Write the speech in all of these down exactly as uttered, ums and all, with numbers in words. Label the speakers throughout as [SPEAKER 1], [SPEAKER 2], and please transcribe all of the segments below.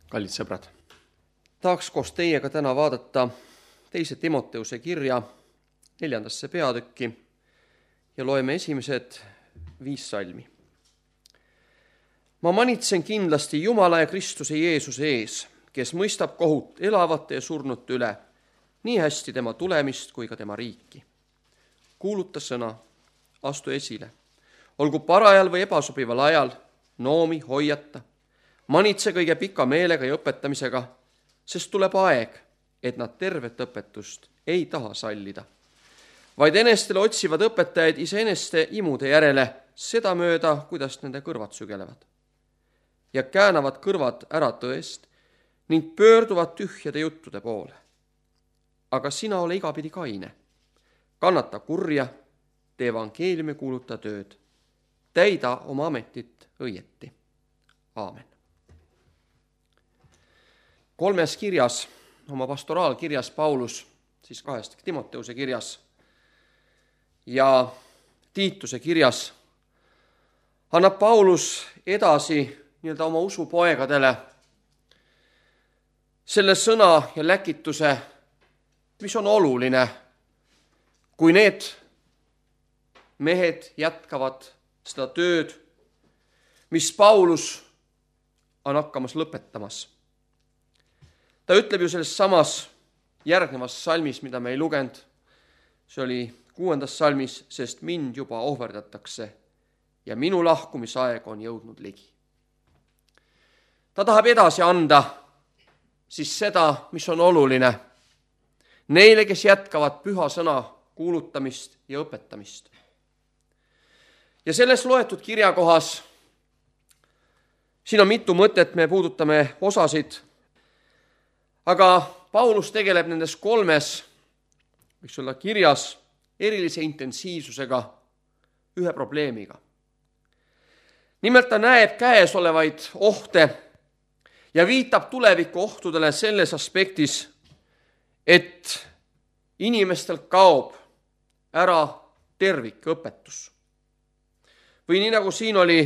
[SPEAKER 1] Kallid sõbrad, tahaks koos teiega täna vaadata teise Timoteuse kirja neljandasse peatükki ja loeme esimesed viis salmi. Ma manitsen kindlasti Jumala ja Kristuse Jeesuse ees, kes mõistab kohut elavate ja surnute üle, nii hästi tema tulemist kui ka tema riiki. Kuuluta sõna, astu esile, olgu parajal või ebasobival ajal, noomi, hoiata, manitse kõige pika meelega ja õpetamisega, sest tuleb aeg, et nad tervet õpetust ei taha sallida, vaid enestele otsivad õpetajaid iseeneste imude järele, seda mööda, kuidas nende kõrvad sügelevad. Ja käänavad kõrvad ära tõest ning pöörduvad tühjade juttude poole. Aga sina ole igapidi kaine, kannata kurja, tee evangeeliumi kuuluta tööd, täida oma ametit õieti. Aamen. Kolmes kirjas, oma pastoraalkirjas Paulus, siis kahest Timoteuse kirjas ja Tiituse kirjas, annab Paulus edasi nii-öelda oma usupoegadele selle sõna ja läkituse, mis on oluline, kui need mehed jätkavad seda tööd, mis Paulus on hakkamas lõpetamas. Ta ütleb ju selles samas järgnevas salmis, mida me ei lugenud, see oli kuuendas salmis, sest mind juba ohverdatakse ja minu lahkumisaeg on jõudnud ligi. Ta tahab edasi anda siis seda, mis on oluline neile, kes jätkavad püha sõna kuulutamist ja õpetamist. Ja selles loetud kirjakohas, siin on mitu mõtet, me puudutame osasid, aga Paulus tegeleb nendes kolmes, võiks olla kirjas, erilise intensiivsusega ühe probleemiga. Nimelt ta näeb käes olevaid ohte ja viitab tuleviku ohtudele selles aspektis, et inimestel kaob ära tervikõpetus. Või nii nagu siin oli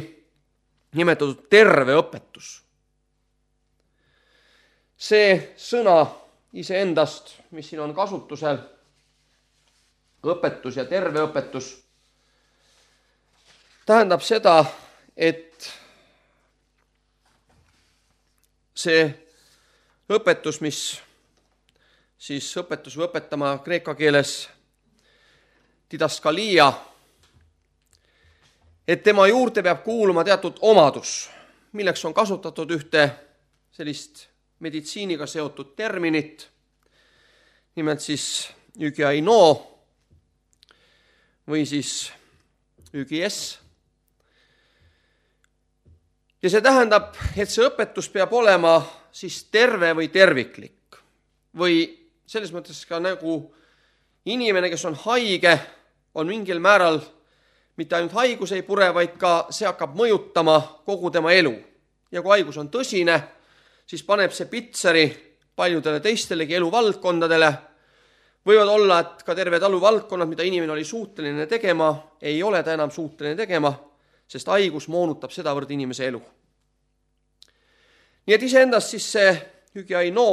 [SPEAKER 1] nimetatud terve õpetus. See sõna iseendast, mis siin on kasutusel, õpetus ja terve õpetus, tähendab seda, et see õpetus, mis siis õpetus või õpetama kreeka keeles didaskalia, et tema juurde peab kuuluma teatud omadus, milleks on kasutatud ühte sellist meditsiiniga seotud terminit, nimelt siis ügiaino või siis ügies. Ja see tähendab, et see õpetus peab olema siis terve või terviklik või selles mõttes ka nagu inimene, kes on haige, on mingil määral mitte ainult haigus ei pure, vaid ka see hakkab mõjutama kogu tema elu. Ja kui haigus on tõsine, siis paneb see pitseri paljudele teistelegi eluvaldkondadele. Võivad olla, et ka terved eluvaldkonnad, mida inimene oli suuteline tegema, ei ole ta enam suuteline tegema, sest haigus moonutab sedavõrd inimese elu. Nii et iseendast siis see ügiaino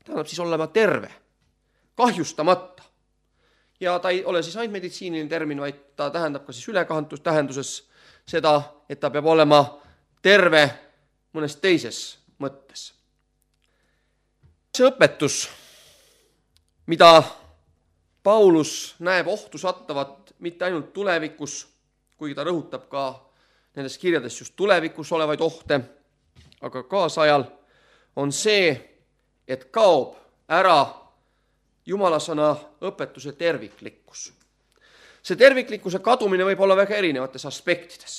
[SPEAKER 1] tähendab siis olema terve, kahjustamata. Ja ta ei ole siis ainult meditsiiniline termin, vaid ta tähendab ka siis ülekantus tähenduses seda, et ta peab olema terve mõnes teises mõttes. See õpetus, mida Paulus näeb ohtu sattavat mitte ainult tulevikus, kuigi ta rõhutab ka nendes kirjades just tulevikus olevaid ohte, aga kaasajal on see, et kaob ära Jumala sõna õpetuse terviklikkus. See terviklikkuse kadumine võib olla väga erinevates aspektides.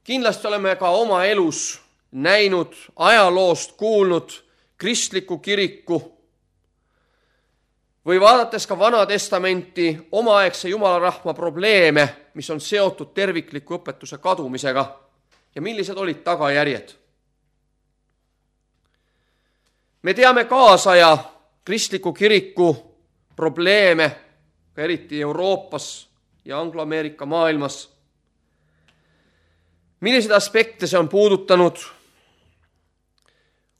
[SPEAKER 1] Kindlasti oleme ka oma elus näinud, ajaloost kuulnud kristliku kiriku või vaadates ka Vana Testamenti omaaegse Jumalarahva probleeme, mis on seotud tervikliku õpetuse kadumisega ja millised olid tagajärjed. Me teame kaasaja kristliku kiriku probleeme, ka eriti Euroopas ja Anglo-Ameerika maailmas, Milliseid aspekte see on puudutanud,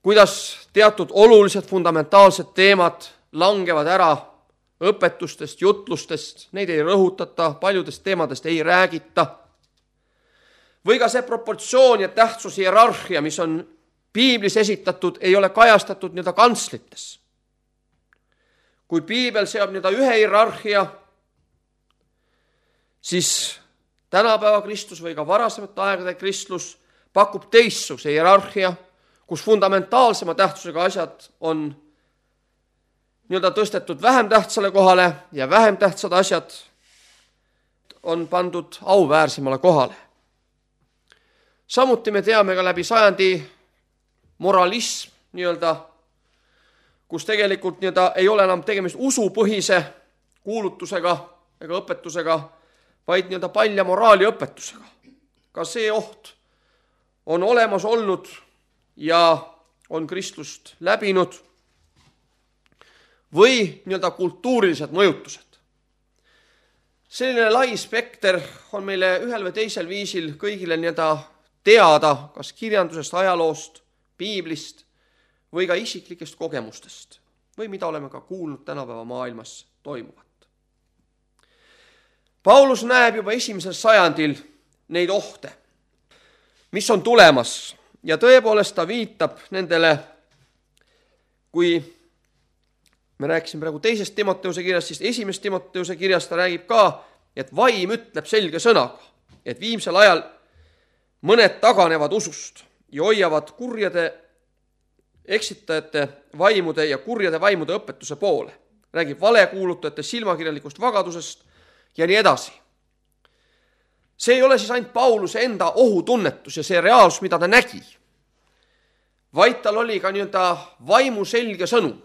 [SPEAKER 1] kuidas teatud olulised fundamentaalsed teemad langevad ära õpetustest, jutlustest, neid ei rõhutata, paljudest teemadest ei räägita. Või ka see proportsioon ja tähtsus hierarhia, mis on piiblis esitatud, ei ole kajastatud nii-öelda kantslites. Kui piibel seab nii-öelda ühe hierarhia, siis tänapäeva kristlus või ka varasemate aegade kristlus pakub teistsuguse hierarhia, kus fundamentaalsema tähtsusega asjad on nii-öelda tõstetud vähem tähtsale kohale ja vähem tähtsad asjad on pandud auväärsemale kohale. Samuti me teame ka läbi sajandi moralism, nii-öelda, kus tegelikult nii-öelda ei ole enam tegemist usupõhise kuulutusega ega õpetusega, vaid nii-öelda palja moraali õpetusega. Ka see oht on olemas olnud ja on kristlust läbinud. Või nii-öelda kultuurilised mõjutused. Selline lai spekter on meile ühel või teisel viisil kõigile nii-öelda teada, kas kirjandusest, ajaloost, piiblist või ka isiklikest kogemustest või mida oleme ka kuulnud tänapäeva maailmas toimuvat. Paulus näeb juba esimesel sajandil neid ohte, mis on tulemas ja tõepoolest ta viitab nendele, kui me rääkisime praegu teisest Timoteuse kirjast, siis esimest Timoteuse kirjast ta räägib ka, et vaim ütleb selge sõnaga, et viimsel ajal mõned taganevad usust ja hoiavad kurjade eksitajate vaimude ja kurjade vaimude õpetuse poole. Räägib valekuulutajate silmakirjalikust vagadusest ja nii edasi. See ei ole siis ainult Pauluse enda ohutunnetus ja see reaalsus, mida ta nägi, vaid tal oli ka nii-öelda vaimu selge sõnum.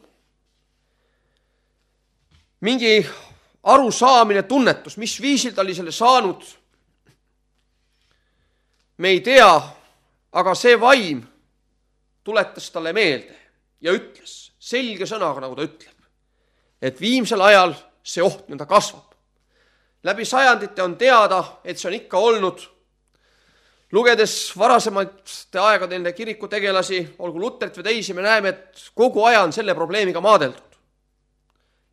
[SPEAKER 1] Mingi arusaamine, tunnetus, mis viisil ta oli selle saanud, me ei tea, aga see vaim tuletas talle meelde ja ütles selge sõnaga, nagu ta ütleb, et viimsel ajal see oht nõnda kasvab. Läbi sajandite on teada, et see on ikka olnud. Lugedes varasemate aegade nende kirikutegelasi, olgu Luterit või teisi, me näeme, et kogu aja on selle probleemiga maadeldud.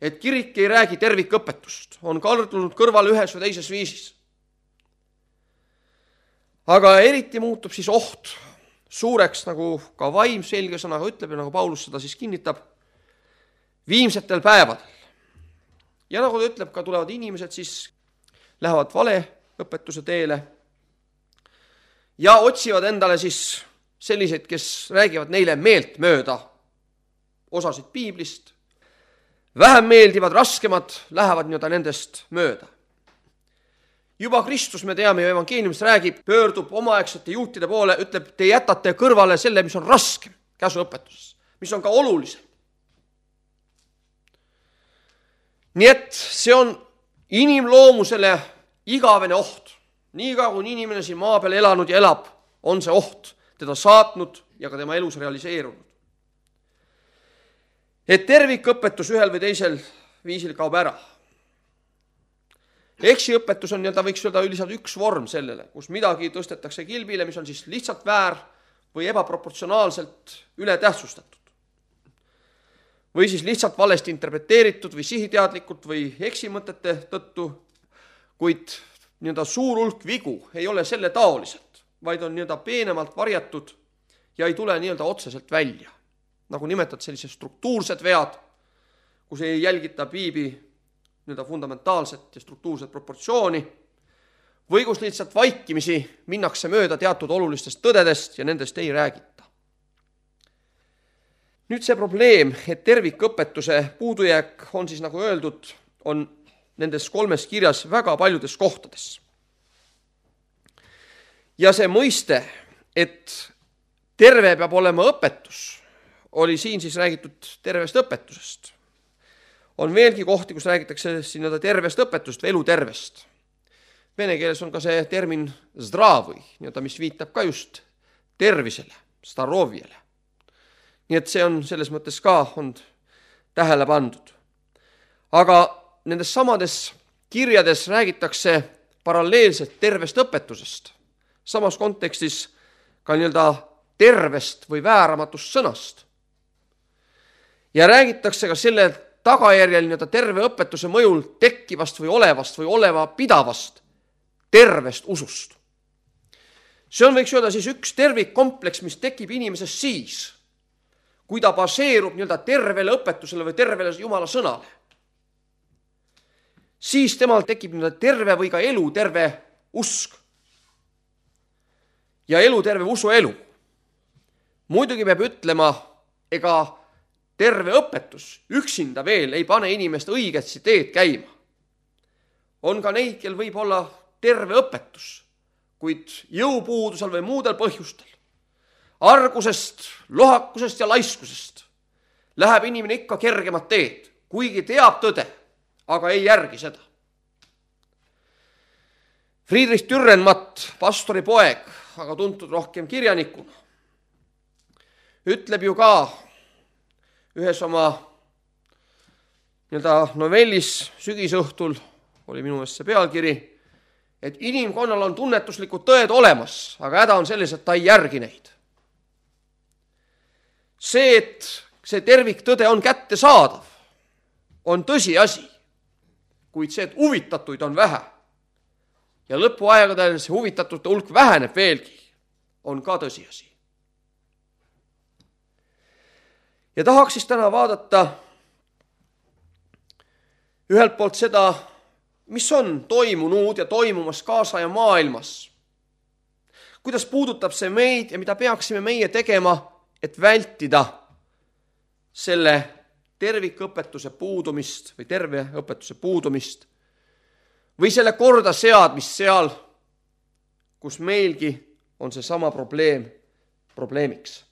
[SPEAKER 1] Et kirik ei räägi tervikõpetust, on kaldunud kõrval ühes või teises viisis. Aga eriti muutub siis oht suureks, nagu ka vaim selge sõnaga ütleb ja nagu Paulus seda siis kinnitab, viimsetel päevadel. Ja nagu ta ütleb, ka tulevad inimesed siis lähevad valeõpetuse teele ja otsivad endale siis selliseid, kes räägivad neile meelt mööda osasid piiblist, vähem meeldivad, raskemad lähevad nii-öelda nendest mööda. Juba Kristus, me teame ju evangeeliumist räägib, pöördub omaaegsete juutide poole, ütleb, te jätate kõrvale selle, mis on raskem käsuõpetuses, mis on ka olulisem. Nii et see on inimloomusele igavene oht. Nii ka, kui inimene siin maa peal elanud ja elab, on see oht teda saatnud ja ka tema elus realiseerunud. Et tervikõpetus ühel või teisel viisil kaob ära. Eksiõpetus on, ta võiks öelda üldiselt üks vorm sellele, kus midagi tõstetakse kilbile, mis on siis lihtsalt väär või ebaproportsionaalselt ületähtsustatud. Või siis lihtsalt valesti interpreteeritud või sihiteadlikult või eksimõtete tõttu, kuid nii-öelda suur hulk vigu ei ole selle taoliselt, vaid on nii-öelda peenemalt varjatud ja ei tule nii-öelda otseselt välja. Nagu nimetad sellised struktuursed vead, kus ei jälgita piibi nii-öelda fundamentaalset ja struktuurset proportsiooni, või kus lihtsalt vaikimisi minnakse mööda teatud olulistest tõdedest ja nendest ei räägita. Nüüd see probleem, et tervikõpetuse puudujääk on siis, nagu öeldud, on nendes kolmes kirjas väga paljudes kohtades. Ja see mõiste, et terve peab olema õpetus, oli siin siis räägitud tervest õpetusest. On veelgi kohti, kus räägitakse siin tervest õpetust või elutervest. Vene keeles on ka see termin zdravõi, mis viitab ka just tervisele, staroviele. Nii et see on selles mõttes ka on tähele pandud. Aga nendes samades kirjades räägitakse paralleelselt tervest õpetusest. samas kontekstis ka nii-öelda tervest või vääramatust sõnast. Ja räägitakse ka selle tagajärjel nii-öelda terve õpetuse mõjul tekkivast või olevast või oleva pidavast tervest usust. See on, võiks öelda, siis üks tervikkompleks, mis tekib inimeses siis, kui ta baseerub nii-öelda tervele õpetusele või tervele Jumala sõnale. Siis temal tekib nii-öelda terve või ka elu terve usk. Ja elu terve usu elu. Muidugi peab ütlema, ega terve õpetus üksinda veel ei pane inimest õigetsi teed käima. On ka neid, kel võib olla terve õpetus, kuid jõupuudusel või muudel põhjustel, argusest, lohakusest ja laiskusest läheb inimene ikka kergemat teed, kuigi teab tõde, aga ei järgi seda. Friedrich Dürrenmatt, pastori poeg, aga tuntud rohkem kirjanikuna, ütleb ju ka ühes oma nii-öelda novellis Sügisõhtul, oli minu meelest see pealkiri, et inimkonnal on tunnetuslikud tõed olemas, aga häda on selles, et ta ei järgi neid. See, et see terviktõde on kättesaadav, on tõsiasi, kuid see, et huvitatuid on vähe ja lõpuaegadel see huvitatute hulk väheneb veelgi, on ka tõsiasi. Ja tahaks siis täna vaadata ühelt poolt seda, mis on toimunud ja toimumas kaasaja maailmas. Kuidas puudutab see meid ja mida peaksime meie tegema, et vältida selle tervikõpetuse puudumist või terve õpetuse puudumist või selle korda seadmist seal, kus meilgi on see sama probleem probleemiks.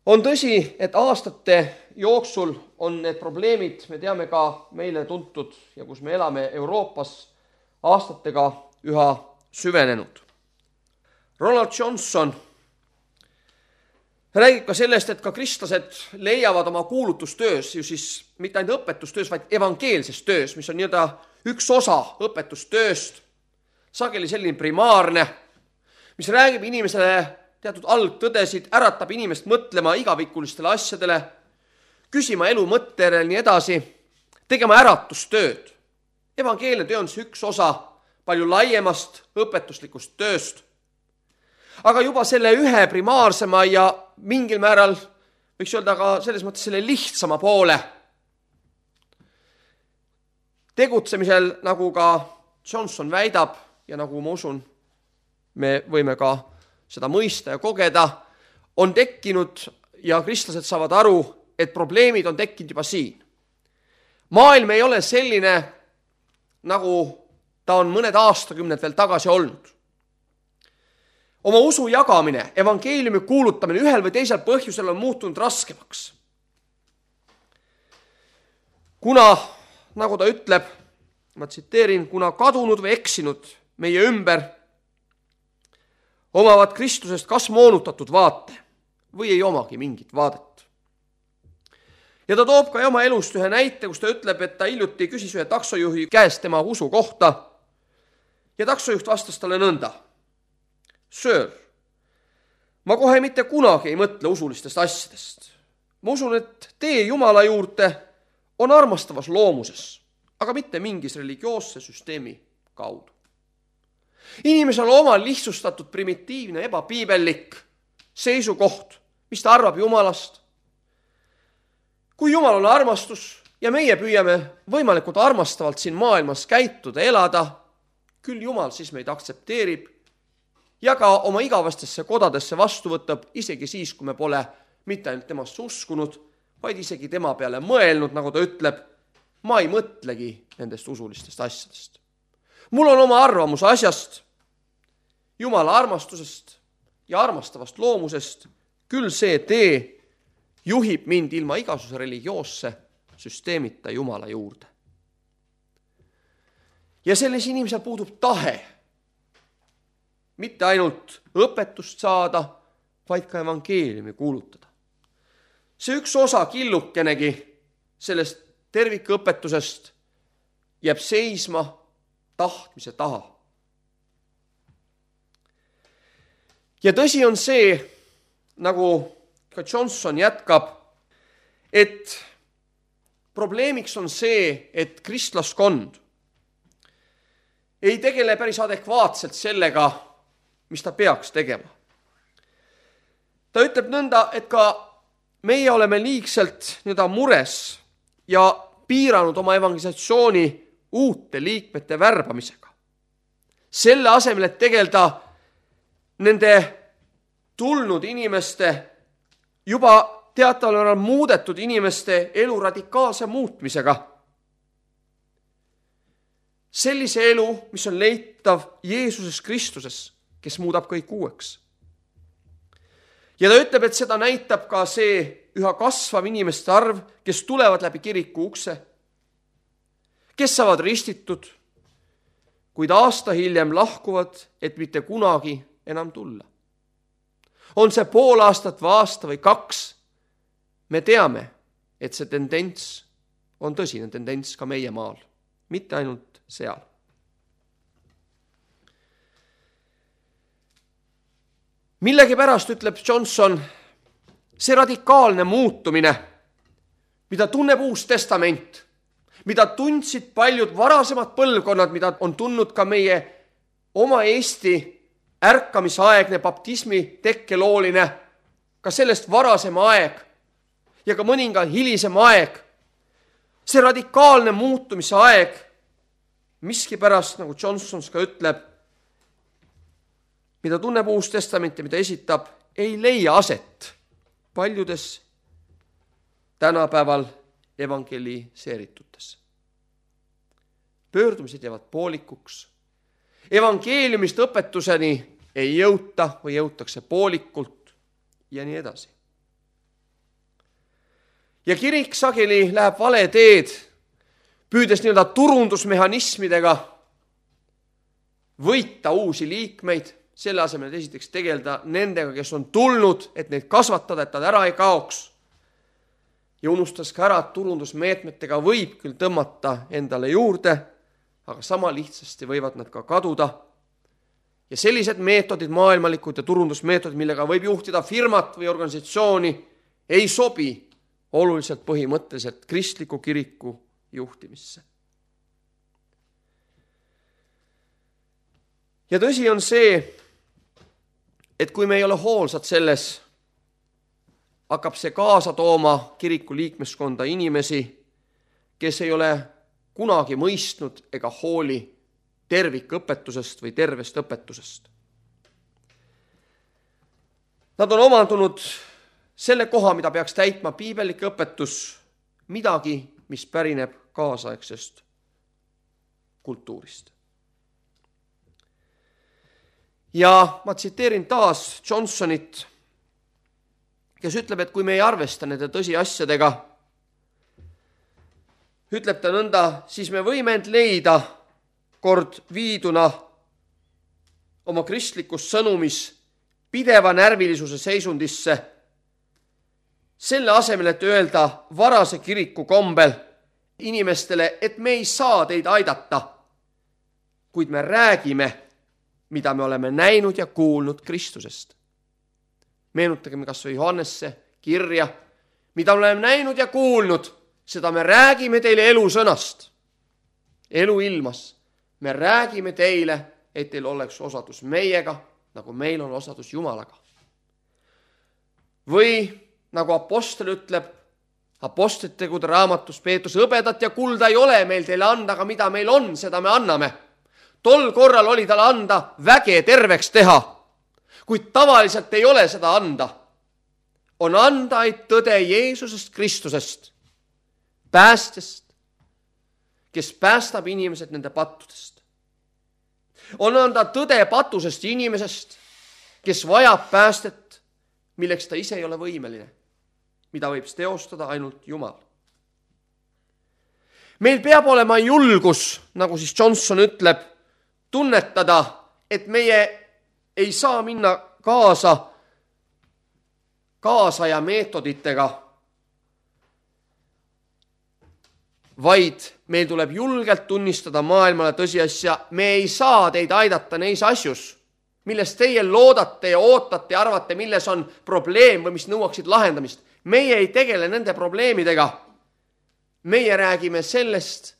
[SPEAKER 1] On tõsi, et aastate jooksul on need probleemid, me teame ka meile tuntud ja kus me elame Euroopas, aastatega üha süvenenud. Ronald Johnson räägib ka sellest, et ka kristlased leiavad oma kuulutustöös, ju siis mitte ainult õpetustöös, vaid evangeelses töös, mis on nii-öelda üks osa õpetustööst, sageli selline primaarne, mis räägib inimesele teatud algtõdesid, äratab inimest mõtlema igavikulistele asjadele, küsima elu mõttele nii edasi, tegema äratustööd. Evangeelne töö on see üks osa palju laiemast õpetuslikust tööst. Aga juba selle ühe primaarsema ja mingil määral, võiks öelda ka selles mõttes selle lihtsama poole tegutsemisel, nagu ka Johnson väidab ja nagu ma usun, me võime ka seda mõista ja kogeda, on tekkinud ja kristlased saavad aru, et probleemid on tekkinud juba siin. Maailm ei ole selline, nagu ta on mõned aastakümned veel tagasi olnud. Oma usu jagamine, evangeeliumi kuulutamine ühel või teisel põhjusel on muutunud raskemaks. Kuna, nagu ta ütleb, ma tsiteerin, kuna kadunud või eksinud meie ümber omavad Kristusest kas moonutatud vaate või ei omagi mingit vaadet. Ja ta toob ka oma elust ühe näite, kus ta ütleb, et ta hiljuti küsis ühe taksojuhi käest tema usu kohta ja taksojuht vastas talle nõnda. Sir, ma kohe mitte kunagi ei mõtle usulistest asjadest. Ma usun, et tee Jumala juurde on armastavas loomuses, aga mitte mingis religioosse süsteemi kaudu. Inimesel on oma lihtsustatud, primitiivne, ebapiibellik seisukoht, mis ta arvab Jumalast. Kui Jumal on armastus ja meie püüame võimalikult armastavalt siin maailmas käituda, elada, küll Jumal siis meid aktsepteerib ja ka oma igavastesse kodadesse vastu võtab, isegi siis, kui me pole mitte ainult temast uskunud, vaid isegi tema peale mõelnud, nagu ta ütleb, ma ei mõtlegi nendest usulistest asjadest. Mul on oma arvamus asjast, Jumala armastusest ja armastavast loomusest, küll see tee juhib mind ilma igasuguse religioosse süsteemita Jumala juurde. Ja selles inimesel puudub tahe mitte ainult õpetust saada, vaid ka evangeeliumi kuulutada. See üks osa killukenegi sellest tervikõpetusest jääb seisma tahtmise taha. ja tõsi on see, nagu ka Johnson jätkab, et probleemiks on see, et kristlaskond ei tegele päris adekvaatselt sellega, mis ta peaks tegema. Ta ütleb nõnda, et ka meie oleme liigselt nii-öelda mures ja piiranud oma evangelisatsiooni uute liikmete värbamisega. Selle asemel, et tegeleda nende tulnud inimeste, juba teataval määral muudetud inimeste elu radikaalse muutmisega. Sellise elu, mis on leitav Jeesuses Kristuses, kes muudab kõik uueks. Ja ta ütleb, et seda näitab ka see üha kasvav inimeste arv, kes tulevad läbi kiriku ukse, kes saavad ristitud, kuid aasta hiljem lahkuvad, et mitte kunagi enam tulla. On see pool aastat või aasta või kaks, me teame, et see tendents on tõsine tendents ka meie maal, mitte ainult seal. Millegipärast, ütleb Johnson, see radikaalne muutumine, mida tunneb Uus Testament, mida tundsid paljud varasemad põlvkonnad, mida on tundnud ka meie oma Eesti ärkamisaegne baptismi tekkelooline, ka sellest varasem aeg ja ka mõninga hilisem aeg, see radikaalne muutumise aeg, miskipärast, nagu Johnson ka ütleb, mida tunneb Uus Testament ja mida esitab, ei leia aset paljudes tänapäeval evangeliseeritutes. Pöördumised jäävad poolikuks. Evangeeliumist õpetuseni ei jõuta või jõutakse poolikult ja nii edasi. Ja kirik sageli läheb vale teed, püüdes nii-öelda turundusmehhanismidega võita uusi liikmeid, selle asemel esiteks tegeleda nendega, kes on tulnud, et neid kasvatada, et nad ära ei kaoks. Ja unustas ka ära, et turundusmeetmetega võib küll tõmmata endale juurde, aga sama lihtsasti võivad nad ka kaduda. Ja sellised meetodid, maailmalikud ja turundusmeetodid, millega võib juhtida firmat või organisatsiooni, ei sobi oluliselt põhimõtteliselt kristliku kiriku juhtimisse. Ja tõsi on see, et kui me ei ole hoolsad selles, hakkab see kaasa tooma kiriku liikmeskonda inimesi, kes ei ole kunagi mõistnud ega hooli tervikõpetusest või tervest õpetusest. Nad on omandunud selle koha, mida peaks täitma piibellik õpetus, midagi, mis pärineb kaasaegsest kultuurist. Ja ma tsiteerin taas Johnsonit, kes ütleb, et kui me ei arvesta nende tõsiasjadega, ütleb ta nõnda, siis me võime end leida kord viiduna oma kristlikus sõnumis pideva närvilisuse seisundisse, selle asemel, et öelda varase kiriku kombel inimestele, et me ei saa teid aidata, kuid me räägime, mida me oleme näinud ja kuulnud Kristusest. Meenutagem kas või Johannesse kirja, mida oleme näinud ja kuulnud, seda me räägime teile elusõnast, elu ilmas. Me räägime teile, et teil oleks osadus meiega, nagu meil on osadus Jumalaga. Või nagu apostel ütleb, apostlite tegude raamatus Peetrus, hõbedat ja kulda ei ole meil teile anda, aga mida meil on, seda me anname. Tol korral oli tal anda väge terveks teha, kuid tavaliselt ei ole seda anda. On anda et tõde Jeesusest Kristusest, päästjast, kes päästab inimesed nende pattudest. On anda tõde patusest inimesest, kes vajab päästet, milleks ta ise ei ole võimeline, mida võib teostada ainult Jumal. Meil peab olema julgus, nagu siis Johnson ütleb, tunnetada, et meie ei saa minna kaasa kaasaja meetoditega, vaid meil tuleb julgelt tunnistada maailmale tõsiasja, me ei saa teid aidata neis asjus, milles teie loodate ja ootate ja arvate, milles on probleem või mis nõuaksid lahendamist. Meie ei tegele nende probleemidega. Meie räägime sellest,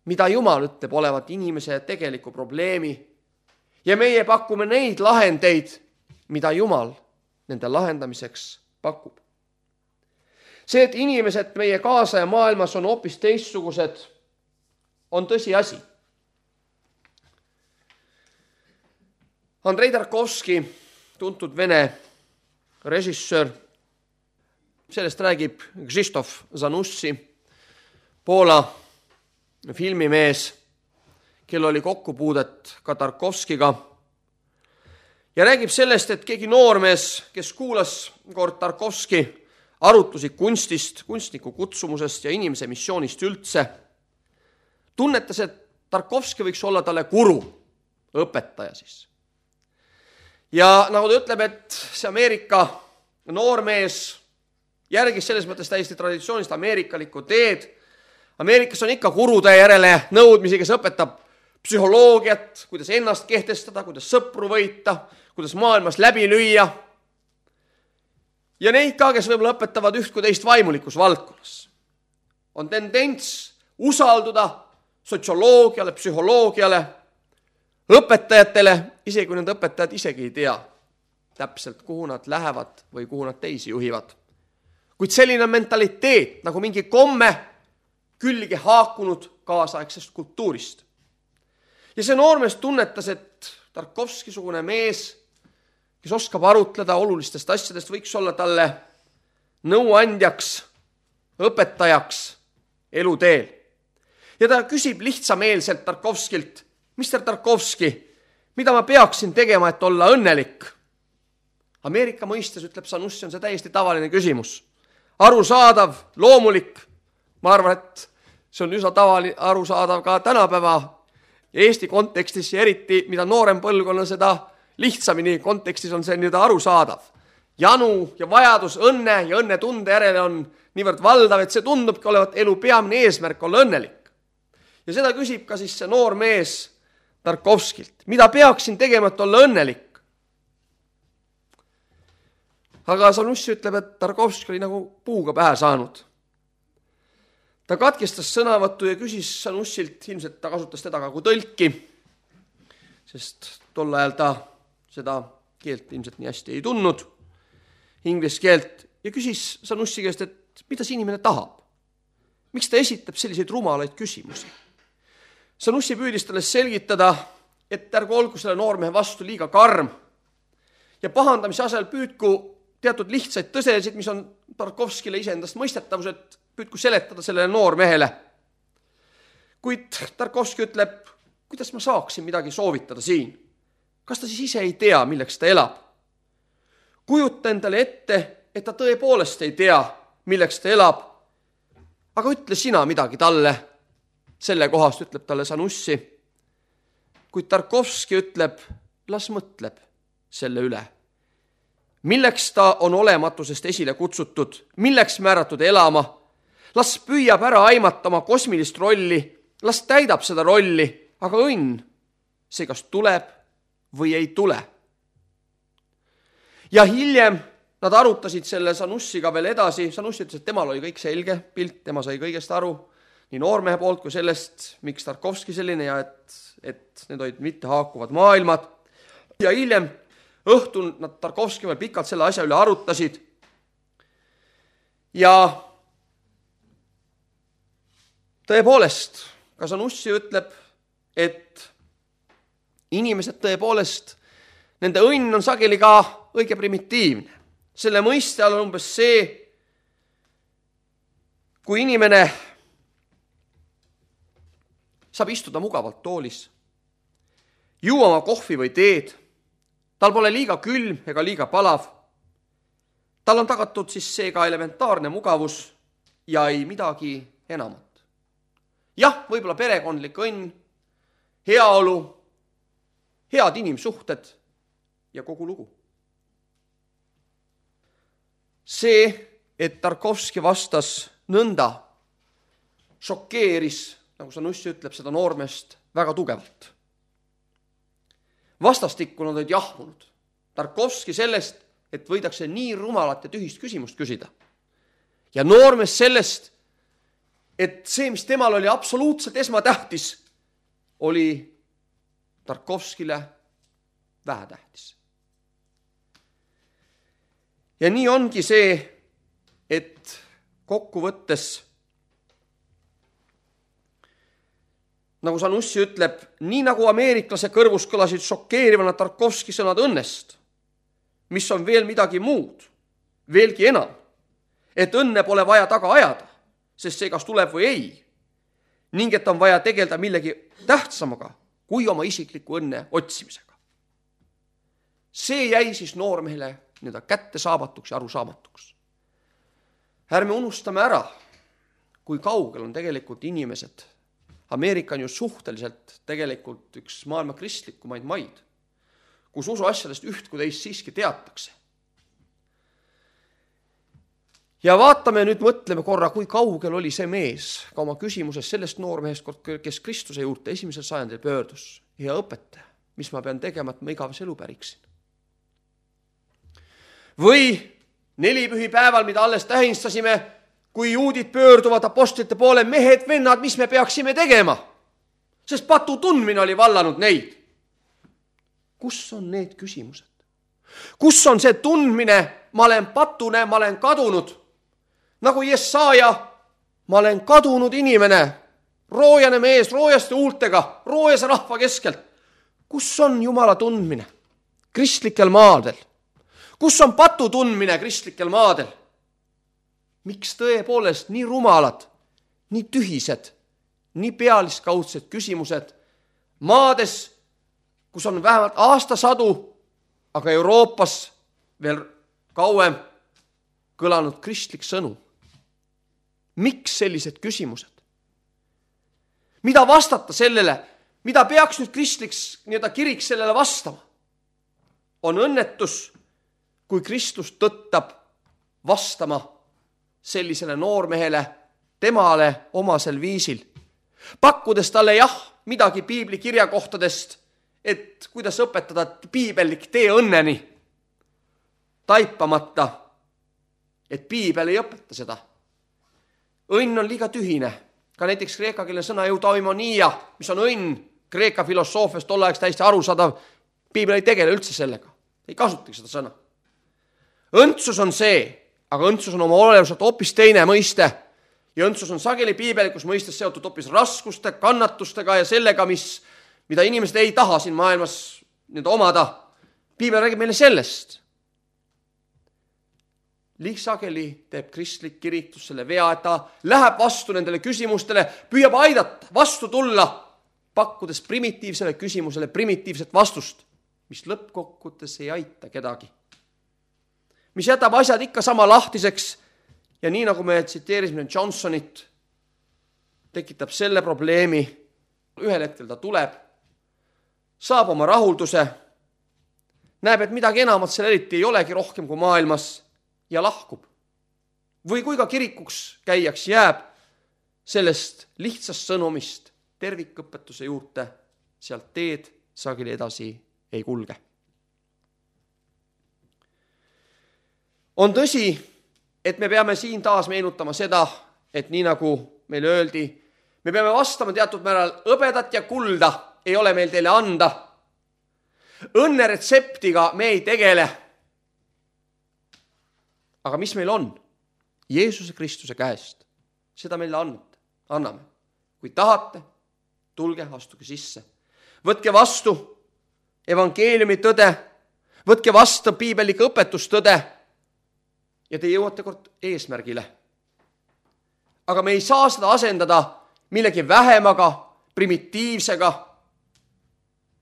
[SPEAKER 1] mida Jumal ütleb olevat inimese tegeliku probleemi. Ja meie pakume neid lahendeid, mida Jumal nende lahendamiseks pakub. See, et inimesed meie kaasa ja maailmas on hoopis teistsugused, on tõsi asi. Andrei Tarkovski, tuntud vene režissöör, sellest räägib Krzysztof Zanussi, Poola filmimees, kel oli kokkupuudet ka Tarkovskiga. Ja räägib sellest, et keegi noormees, kes kuulas kord Tarkovski arutlusi kunstist, kunstniku kutsumusest ja inimese missioonist üldse, tunnetas, et Tarkovski võiks olla talle guru, õpetaja siis. Ja nagu ta ütleb, et see Ameerika noormees järgis selles mõttes täiesti traditsioonist ameerikalikku teed. Ameerikas on ikka gurude järele nõudmisi, kes õpetab psühholoogiat, kuidas ennast kehtestada, kuidas sõpru võita, kuidas maailmas läbi lüüa. Ja neid ka, kes võib-olla õpetavad üht kui teist vaimulikus valdkonnas. On tendents usalduda sotsioloogiale, psühholoogiale, õpetajatele, isegi kui need õpetajad isegi ei tea täpselt, kuhu nad lähevad või kuhu nad teisi juhivad. Kuid selline mentaliteet, nagu mingi komme, külge haakunud kaasaegsest kultuurist. Ja see noormees tunnetas, et Tarkovski-sugune mees, kes oskab arutleda olulistest asjadest, võiks olla talle nõuandjaks, õpetajaks eluteel. Ja ta küsib lihtsameelselt Tarkovskilt, mister Tarkovski, mida ma peaksin tegema, et olla õnnelik? Ameerika mõistes, ütleb Zanussi, on see täiesti tavaline küsimus. Arusaadav, loomulik. Ma arvan, et see on üsna tavali, arusaadav ka tänapäeva Eesti kontekstis ja eriti, mida noorem põlvkonna, seda lihtsamini kontekstis on see nii-öelda arusaadav. Janu ja vajadus õnne ja õnne tunde järele on niivõrd valdav, et see tundubki olevat elu peamine eesmärk olla õnnelik. Ja seda küsib ka siis see noor mees Tarkovskilt. Mida peaksin tegema, et olla õnnelik? Aga Zanussi ütleb, et Tarkovski oli nagu puuga pähe saanud. Ta katkestas sõnavõttu ja küsis Zanussilt, ilmselt ta kasutas teda ka kui tõlki, sest tol ajal ta seda keelt ilmselt nii hästi ei tundnud, inglise keelt, ja küsis Zanussi käest, et mida see inimene tahab? Miks ta esitab selliseid rumalaid küsimusi? Zanussi püüdis talle selgitada, et ärgu olgu selle noormehe vastu liiga karm ja pahandamise asel püüdku teatud lihtsaid tõsesid, mis on Tarkovskile iseendast mõistetavused, püüdku seletada sellele noormehele. Kuid Tarkovski ütleb, kuidas ma saaksin midagi soovitada siin? Kas ta siis ise ei tea, milleks ta elab? Kujuta endale ette, et ta tõepoolest ei tea, milleks ta elab, aga ütle sina midagi talle. Selle kohast ütleb talle Zanussi. Kuid Tarkovski ütleb, las mõtleb selle üle. Milleks ta on olematusest esile kutsutud, milleks määratud elama, las püüab ära aimata oma kosmilist rolli, las täidab seda rolli, aga õnn, see kas tuleb või ei tule. Ja hiljem nad arutasid selle Zanussiga veel edasi. Zanussi ütles, et temal oli kõik selge pilt, tema sai kõigest aru, nii noormehe poolt kui sellest, miks Tarkovski selline ja et, et need olid mitte haakuvad maailmad. Ja hiljem õhtul nad Tarkovski veel pikalt selle asja üle arutasid. Ja tõepoolest, ka Zanussi ütleb, et inimesed tõepoolest, nende õnn on sageli ka õige primitiivne. Selle mõiste all on umbes see, kui inimene saab istuda mugavalt toolis, juua oma kohvi või teed, tal pole liiga külm ega liiga palav, tal on tagatud siis seega elementaarne mugavus ja ei midagi enamat. Jah, võib-olla perekondlik õnn, heaolu, head inimsuhted ja kogu lugu. See, et Tarkovski vastas nõnda, šokeeris, nagu Zanussi ütleb, seda noormest väga tugevalt. vastastikku nad olid jahmunud. Tarkovski sellest, et võidakse nii rumalat ja tühist küsimust küsida. Ja noormees sellest, et see, mis temal oli absoluutselt esmatähtis, oli Tarkovskile vähetähtis. Ja nii ongi see, et kokkuvõttes, nagu Zanussi ütleb, nii nagu ameeriklase kõrvus kõlasid šokeerivana Tarkovski sõnad õnnest, mis on veel midagi muud, veelgi enam, et õnne pole vaja taga ajada, sest see kas tuleb või ei, ning et on vaja tegeleda millegi tähtsamaga kui oma isikliku õnne otsimisega. See jäi siis noormehele nii-öelda kättesaamatuks ja arusaamatuks. Ärme unustame ära, kui kaugel on tegelikult inimesed. Ameerika on ju suhteliselt tegelikult üks maailma kristlikumaid maid, kus usu asjadest üht kui teist siiski teatakse. Ja vaatame nüüd, mõtleme korra, kui kaugel oli see mees ka oma küsimuses sellest noormehest, kes Kristuse juurde esimesel sajandil pöördus. Ja õpetaja, mis ma pean tegema, et ma igavese elu päriksin. Või nelipühi päeval, mida alles tähistasime, kui juudid pöörduvad apostlite poole, mehed, vennad, mis me peaksime tegema? Sest patu tundmine oli vallanud neid. Kus on need küsimused? Kus on see tundmine, ma olen patune, ma olen kadunud? Nagu Jesaja, ma olen kadunud inimene, roojane mees, roojaste huultega, roojase rahva keskelt. Kus on Jumala tundmine? Kristlikel maadel. Kus on patu tundmine kristlikel maadel? Miks tõepoolest nii rumalad, nii tühised, nii pealiskaudsed küsimused maades, kus on vähemalt aastasadu, aga Euroopas veel kauem kõlanud kristlik sõnum? Miks sellised küsimused? Mida vastata sellele? Mida peaks nüüd kristliks nii-öelda kirik sellele vastama? On õnnetus, kui Kristus tõttab vastama sellisele noormehele, temale omasel viisil, pakkudes talle jah, midagi piibli kirjakohtadest, et kuidas õpetada piibellik tee õnneni, taipamata, et piibel ei õpeta seda. Õnn on liiga tühine. Ka näiteks kreeka keele sõna eudaimonia, mis on õnn, kreeka filosoofiast tolleaegst täiesti arusaadav, piibel ei tegele üldse sellega. Ei kasutagi seda sõna. Õndsus on see, aga õndsus on oma olevuselt hoopis teine mõiste. Ja õndsus on sageli piibelikus mõistes seotud hoopis raskuste, kannatustega ja sellega, mis, mida inimesed ei taha siin maailmas nüüd omada. Piibel räägib meile sellest. Liig sageli teeb kristlik kiritus selle vea, et ta läheb vastu nendele küsimustele, püüab aidata, vastu tulla, pakkudes primitiivsele küsimusele primitiivset vastust, mis lõppkokkutes ei aita kedagi. Mis jätab asjad ikka sama lahtiseks ja nii nagu me tsiteerisime Johnsonit, tekitab selle probleemi. Ühel hetkel ta tuleb, saab oma rahulduse, näeb, et midagi enamat seal eriti ei olegi rohkem kui maailmas ja lahkub. Või kui ka kirikuks käijaks jääb sellest lihtsast sõnumist tervikõpetuse juurde, sealt teed sageli edasi ei kulge. On tõsi, et me peame siin taas meenutama seda, et nii nagu meile öeldi, me peame vastama teatud määral hõbedat ja kulda ei ole meil teile anda. Õnne retseptiga me ei tegele. Aga mis meil on? Jeesuse Kristuse käest. Seda meile anname. Kui tahate, tulge, astuge sisse. Võtke vastu evangeeliumi tõde, võtke vastu piibelike õpetustõde ja te jõuate kord eesmärgile. Aga me ei saa seda asendada millegi vähemaga, primitiivsega,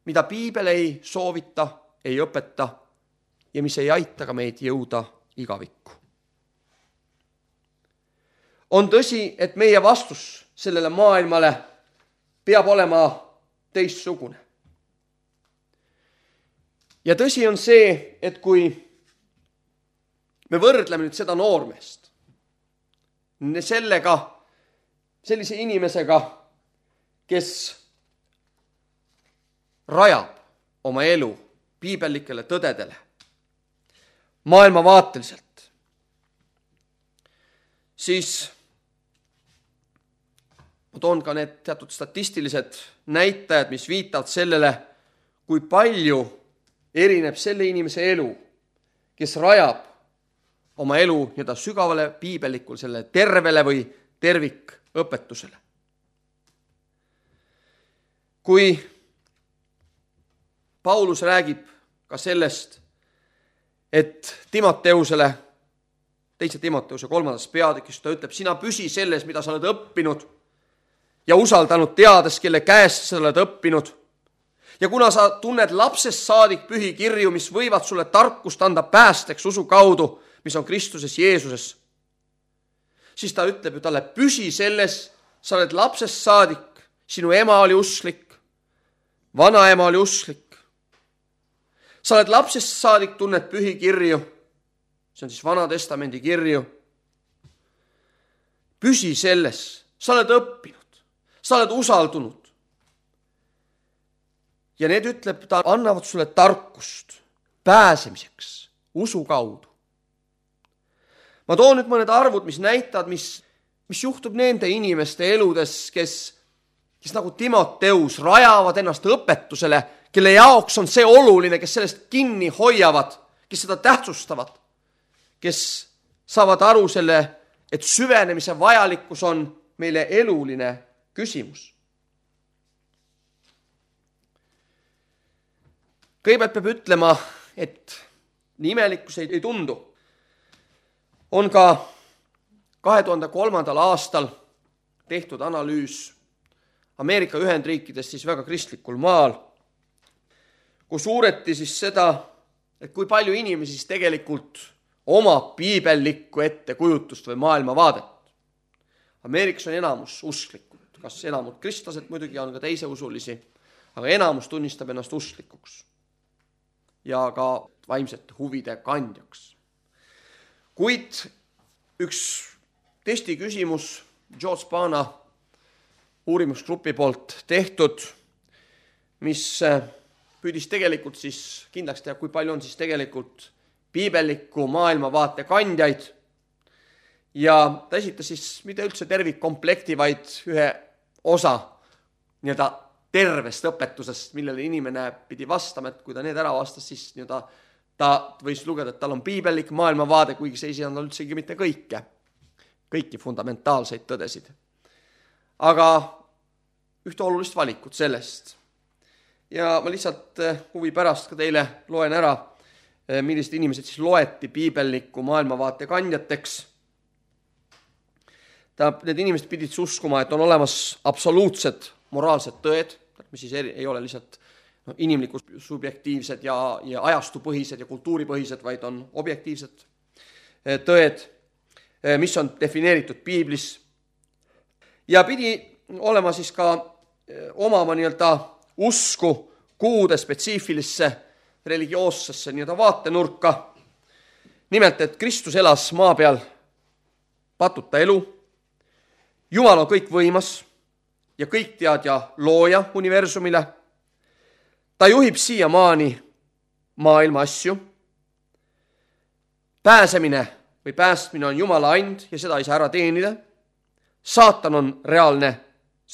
[SPEAKER 1] mida piibel ei soovita, ei õpeta ja mis ei aita ka meid jõuda igavikku. On tõsi, et meie vastus sellele maailmale peab olema teistsugune. Ja tõsi on see, et kui me võrdleme nüüd seda noormeest sellega, sellise inimesega, kes rajab oma elu piibellikele tõdedele maailmavaateliselt, siis ma toon ka need teatud statistilised näitajad, mis viitavad sellele, kui palju erineb selle inimese elu, kes rajab oma elu nii-öelda sügavale piibellikule, selle tervele või tervikõpetusele. Kui Paulus räägib ka sellest, et Timoteusele, teise Timoteuse kolmandas peatükis, ta ütleb, sina püsi selles, mida sa oled õppinud ja usaldanud, teades, kelle käest sa oled õppinud. Ja kuna sa tunned lapsest saadik pühi kirju, mis võivad sulle tarkust anda päästeks usu kaudu, mis on Kristuses Jeesuses, siis ta ütleb ju talle, püsi selles, sa oled lapsest saadik, sinu ema oli usklik, vanaema oli usklik. Sa oled lapsest saadik, tunned pühi kirju, see on siis Vana Testamendi kirju. Püsi selles, sa oled õppinud, sa oled usaldunud. Ja need ütleb, ta annavad sulle tarkust pääsemiseks usu kaudu. Ma toon nüüd mõned arvud, mis näitavad, mis, mis juhtub nende inimeste eludes, kes, kes nagu Timoteus rajavad ennast õpetusele, kelle jaoks on see oluline, kes sellest kinni hoiavad, kes seda tähtsustavad, kes saavad aru selle, et süvenemise vajalikkus on meile eluline küsimus. Kõigepealt peab ütlema, et nii imelikkus ei, ei tundu. On ka kahe tuhande kolmandal aastal tehtud analüüs Ameerika Ühendriikides siis väga kristlikul maal, kus uureti siis seda, et kui palju inimesi siis tegelikult omab piibellikku ettekujutust või maailmavaadet. Ameerikas on enamus usklikud, kas enamud kristlased muidugi on ka teise usulisi, aga enamus tunnistab ennast usklikuks ja ka vaimsete huvide kandjaks. Kuid üks testi küsimus George Bana uurimusgrupi poolt tehtud, mis püüdis tegelikult siis kindlaks teha, kui palju on siis tegelikult piibelliku maailmavaate kandjaid. Ja ta esitas siis mitte üldse tervikkomplekti, vaid ühe osa nii-öelda tervest õpetusest, millele inimene pidi vastama, et kui ta need ära vastas, siis nii-öelda ta võis lugeda, et tal on piibellik maailmavaade, kuigi see ei sisenda üldsegi mitte kõike, kõiki fundamentaalseid tõdesid. Aga ühte olulist valikut sellest. Ja ma lihtsalt huvi pärast ka teile loen ära, millised inimesed siis loeti piibelliku maailmavaate kandjateks. Ta, need inimesed pidid uskuma, et on olemas absoluutsed moraalsed tõed, mis siis ei ole lihtsalt no, inimlikud, subjektiivsed ja, ja ajastupõhised ja kultuuripõhised, vaid on objektiivsed tõed, mis on defineeritud piiblis. Ja pidi olema siis ka omama nii-öelda usku kuude spetsiifilisse religioossesse nii-öelda vaatenurka. Nimelt, et Kristus elas maa peal patuta elu, Jumal on kõik võimas ja kõik teadja looja universumile. Ta juhib siiamaani maailma asju. Pääsemine või päästmine on Jumala and ja seda ei saa ära teenida. Saatan on reaalne,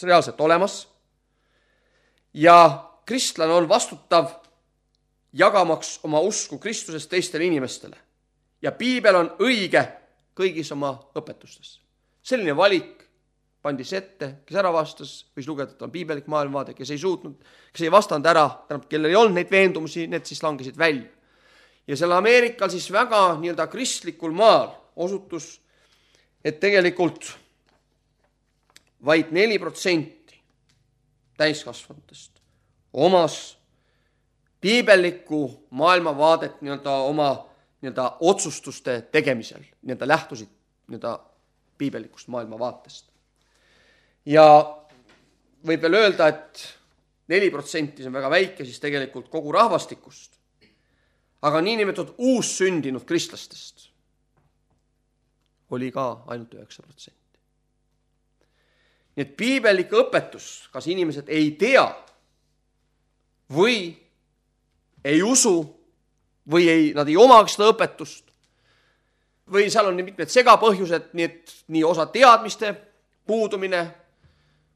[SPEAKER 1] reaalselt olemas. Ja kristlane on vastutav jagamaks oma usku Kristusest teistele inimestele. Ja piibel on õige kõigis oma õpetustes. Selline valik pandis ette, kes ära vastas, võis lugeda, et on piibelik maailmavaade, kes ei suutnud, kes ei vastanud ära, kellel ei olnud neid veendumusi, need siis langesid välja. Ja selle Ameerikal siis väga nii-öelda kristlikul maal osutus, et tegelikult vaid neli protsenti täiskasvanutest omas piibellikku maailmavaadet nii-öelda oma nii-öelda otsustuste tegemisel, nii-öelda lähtusid nii-öelda piibellikust maailmavaatest. Ja võib veel öelda, et neli protsenti on väga väike, siis tegelikult kogu rahvastikust. Aga niinimetatud uussündinud kristlastest oli ka ainult üheksa protsenti. Nii et piibellik õpetus, kas inimesed ei tea või ei usu või ei, nad ei omagi seda õpetust või seal on nii mitmed segapõhjused, nii et nii osa teadmiste puudumine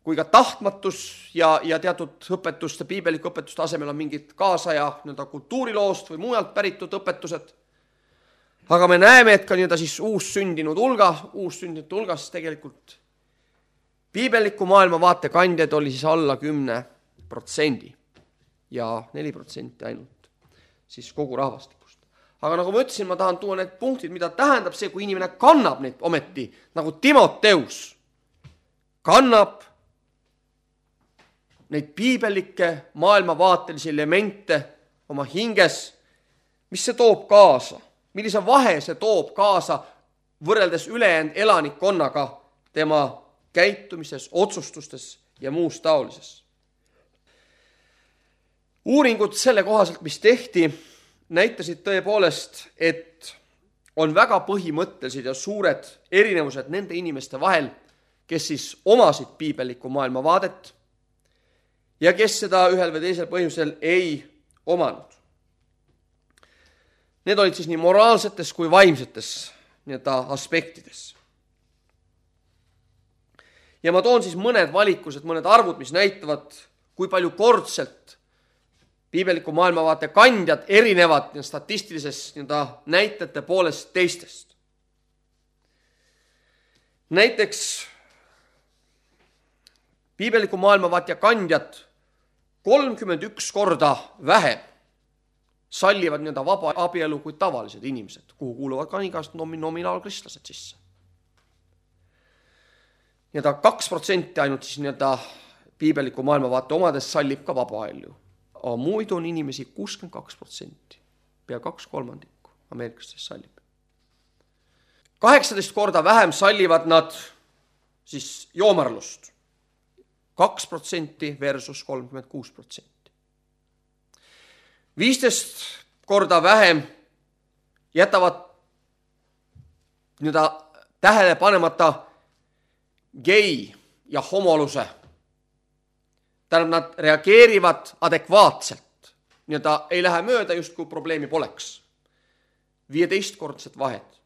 [SPEAKER 1] kui ka tahtmatus ja, ja teatud õpetuste, piibeliku õpetuste asemel on mingid kaasaja nii-öelda kultuuriloost või mujalt päritud õpetused. Aga me näeme, et ka nii-öelda siis uussündinud hulga, uussündinud hulgas tegelikult piibeliku maailmavaate kandjad oli siis alla kümne protsendi ja neli protsenti ainult siis kogu rahvastikust. Aga nagu ma ütlesin, ma tahan tuua need punktid, mida tähendab see, kui inimene kannab neid ometi, nagu Timoteus kannab neid piibelikke maailmavaatelisi elemente oma hinges, mis see toob kaasa, millise vahe see toob kaasa võrreldes ülejäänud elanikkonnaga tema käitumises, otsustustes ja muus taolises. Uuringud selle kohaselt, mis tehti, näitasid tõepoolest, et on väga põhimõttelised ja suured erinevused nende inimeste vahel, kes siis omasid piibeliku maailmavaadet ja kes seda ühel või teisel põhjusel ei omanud. Need olid siis nii moraalsetes kui vaimsetes nii-öelda aspektides. Ja ma toon siis mõned valikused, mõned arvud, mis näitavad, kui palju kordselt piibeliku maailmavaate kandjad erinevad statistilises nii-öelda näitajate poolest teistest. Näiteks piibeliku maailmavaate kandjad kolmkümmend üks korda vähem sallivad nii-öelda vaba abielu kui tavalised inimesed, kuhu kuuluvad ka igast nominaalkristlased sisse. Nii-öelda kaks protsenti ainult siis nii-öelda piibeliku maailmavaate omades sallib ka vaba abielu. Aga muidu on inimesi kuuskümmend kaks protsenti, pea kaks kolmandikku ameeriklastest sallib. kaheksateist korda vähem sallivad nad siis joomarlust. kaks protsenti versus kolmkümmend kuus protsenti. viisteist korda vähem jätavad nii-öelda tähele panemata gei ja homoluse. Tähendab, nad reageerivad adekvaatselt. Nii-öelda ei lähe mööda, just kui probleemi poleks. viieteistkordset vahet.